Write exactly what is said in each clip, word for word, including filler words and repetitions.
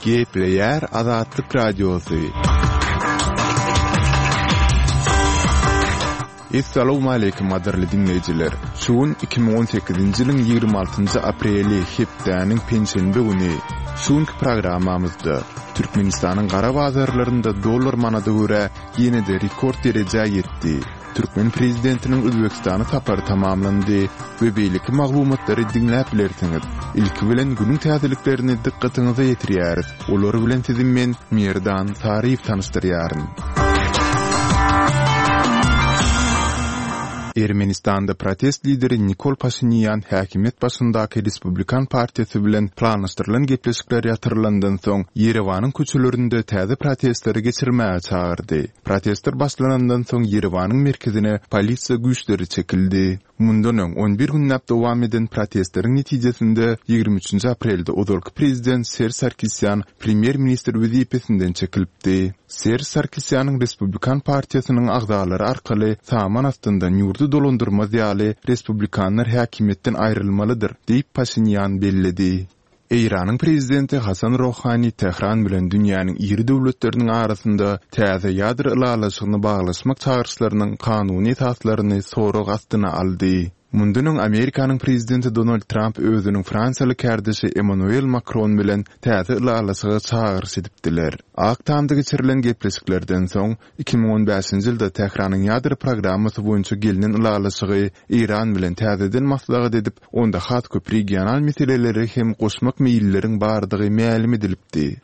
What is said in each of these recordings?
Gepleýär Azatlyk Radiosy. Essalawmaleýkim gadyrly diňleýjiler! Şu gün iki müň on sekizinji ýylyň ýigrimi altynjy apreli hepdäniň penşenbe güni. Şu günki programmamyzda Türkmenistanyň gara bazarlarynda dollar manada görä ýene-de rekord derejä ýetdi. Türkmen prezidentiniň Özbegistana sapary tamamlandy we beýleki maglumatlary diňläp bilersiňiz. Ilki bilen günüň täzeliklerini dykgatyňyza ýetirýäris. Olar bilen sizi men, Merdan Saryýew tanyşdyrýaryn. Ermenistanda protest lideri Nikol Paşinýan häkimiýet başyndaky Respublikan partiýasy bilen planlaşdyrylan gepleşikler ýatyrylandan soň, Ýerewanyň köçelerinde täze protestleri geçirmäge çagyrdy. Protestler başlanandan soň Ýerewanyň merkezine polisiýa güýçleri çekildi. Mundan öň on bir günläp dowam eden protestleriň netijesinde ýigrimi üçünji aprelde ozalky prezident Serž Sarkisýan premýer-ministr wezipesinden çekilipdi. Serž Sarkisýanyň Respublikan partiýasynyň agzalary arkaly saman astyndan ýurdy dolandyrmaz ýaly respublikanlar häkimiýetden aýrylmalydyr diýip Paşinýan belledi. Eýranyň prezidenti Hasan Rohani Tähran bilen dünýäniň iri döwletleriniň arasynda täze ýadro ylalaşygyny baglaşmak çagyryşlarynyň kanuny esaslaryny sorag astyna aldy. Mundan öň Amerikanyň prezidenti Donald Tramp özüniň fransiýaly kärdeşi Emmanuel Makron bilen täze ylalaşyga çagyryş edipdiler. Ak Tamda geçirilen gepleşiklerden soň, iki müň on bäşinji ýylda Tähranyň ýadro programmasy boýunça gelnen ylalaşygy Eýran bilen täzeden maslahat edip, onda has köp regional meseleleri hem goşmak meýilleriň bardygy mälim edilipdi.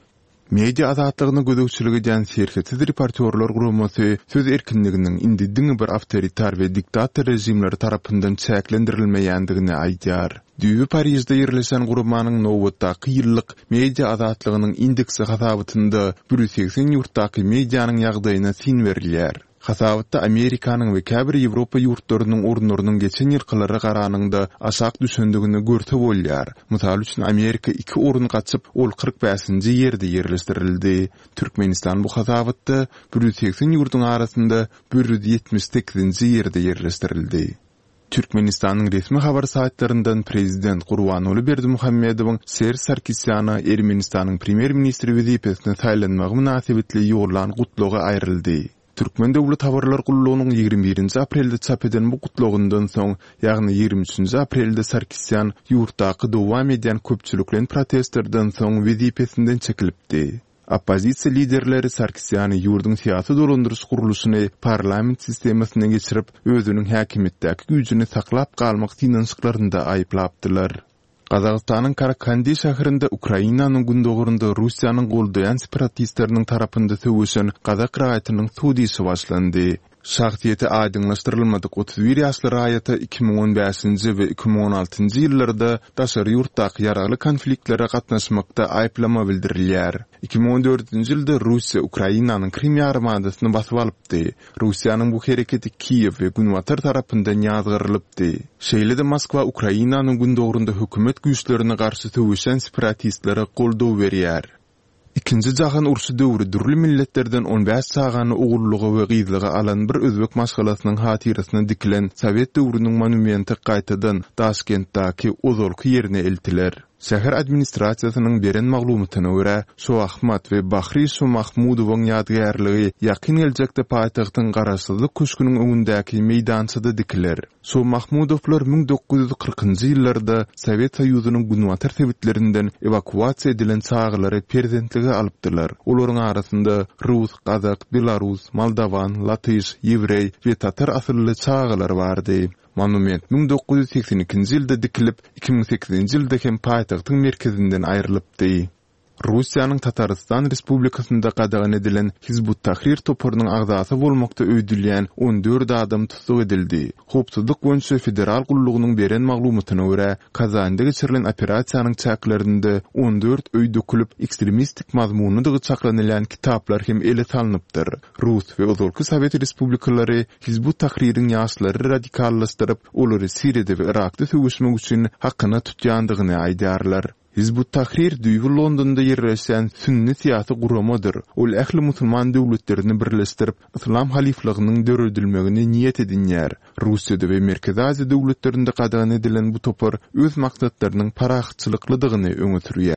Media azatlygyna gözegçilik edýän Serhetsiz reportýorlar guramasy söz erkinliginiň indi diňe bir awtoritar we diktator režimleri tarapyndan çäklendirilmeýändigini aýdýar. Düýbi Parižde ýerleşen guramanyň nobatdaky ýyllyk media azatlygynyň indeksi hasabatynda bir ýüz segsen ýurtdaky medianyň ýagdaýyna syn berilýär. Hasabatda Amerikanyň we käbir Ýewropa ýurtlarynyň orunlarynyň geçen ýylkylara garanyňda aşak düşendigini görse bolýar. Mysal üçin, Amerika iki orun gaçyp, ol kyrk bäşinji ýerde ýerleşdirildi. Türkmenistan bu hasabatda bir ýüz segsen ýurduň arasynda bir ýüz ýetmiş sekizinji ýerde ýerleşdirildi. Türkmenistanyň resmi habar saýtlaryndan prezident Gurbanguly Berdimuhamedowyň Serž Sarkisýana Ermenistanyň premýer-ministri wezipesine saýlanmagy mynasybetli ýollan gutlagy aýryldy. Türkmen döwlet habarlar gullugynyň ýigrimi birinji aprelde çap eden bu gutlagyndan soň, ýagny ýigrimi üçünji aprelde Sarkisýan ýurtdaky dowam edýän köpçülikleýin protestlerden soň wezipesinden çekilipdi. Oppozisiýa liderleri Sarkisýany ýurduň syýasy dolandyryş gurluşyny parlament sistemasyna geçirip, özüniň häkimiýetdäki güýjüni saklap galmak synanyşyklarynda aýyplapdylar. Gazagystanyň Karakandi şäherinde Ukrainanyň gündogarynda Russiýanyň goldaýan separatistleriniň tarapynda söweşen gazak raýatynyň sud işi başlandy. Şahsyýeti aýdyňlaşdyrylmadyk otuz bir ýaşly raýata iki müň on bäşinji we iki müň on altynjy ýyllarda daşary ýurtdaky ýaragly konfliktlere gatnaşmakda aýyplama bildirilýär. Iki müň on dördünji ýylda Russiýa Ukrainanyň Krym ýarymadasyny basyp alypdy. Russiýanyň bu hereketi Kiýew we Günbatar tarapyndan ýazgarylypdy. Şeýle-de Moskwa Ukrainanyň gündogarynda hökümet güýçlerine garşy söweşýän separatistlere goldaw berýär. Ikinji jahan urşy döwri dürli milletlerden on bäş çagany ogullyga we gyzlyga alan bir özbek maşgalasynyň hatyrasyna dikilen sowet döwrüniň monumenti gaýtadan Daşkentdäki ozalky ýerine eltiler. Şäher administrasiýasynyň beren maglumatyna görä, Şoahmat we Bahri Şomahmudowyň ýadygärligi ýakyn geljekde paýtagtyň Garaşsyzlyk köşgüniň öňündäki meýdançada dikiler. Şomahmudowlar müň dokuz ýüz kyrkynjy ýyllarda Sowet Soýuzynyň günbatar sebitlerinden ewakuasiýa edilen çagalary perzentlige alypdylar. Olaryň arasynda rus, gazak, belarus, moldowan, latyş, ýewreý we tatar asylly çagalar bardy. Monument müň dokuz ýüz segsen ikinji ýylda dikilip, iki müň sekizinji ýylda hem paýtagtyň merkezinden aýrylypdy. Russiýanyň Tatarystan Respublikasynda gadagan edilen Hizbut-Tahrir toparynyň agzasy bolmakda öýdülýän on dört adam tussag edildi. Howpsuzlyk boýunça federal gullugynyň beren maglumatyna görä, Kazanda geçirilen operasiýanyň çäklerinde on dört öý dökülip, ekstremistik mazmunlydygy çaklanylýan kitaplar hem ele salnypdyr. Rus we ozalky Sowet respublikalary Hizbut-Tahririň ýaşlary radikallaşdyryp, olary Siriýada we Yrakda söweşmek üçin hakyna tutýandygyny aýdýarlar. Hizbut-Tahrir düýbi Londonda ýerleşýän sünni syýasy guramadyr. Ol ähli musulman döwletlerini birleşdirip, yslam halyflygynyň döredilmegini niýet edinýär. Russiýada we Merkezi Aziýa döwletlerinde gadagan edilen bu topar öz maksatlarynyň parahatçylyklydygyny öňe sürýär.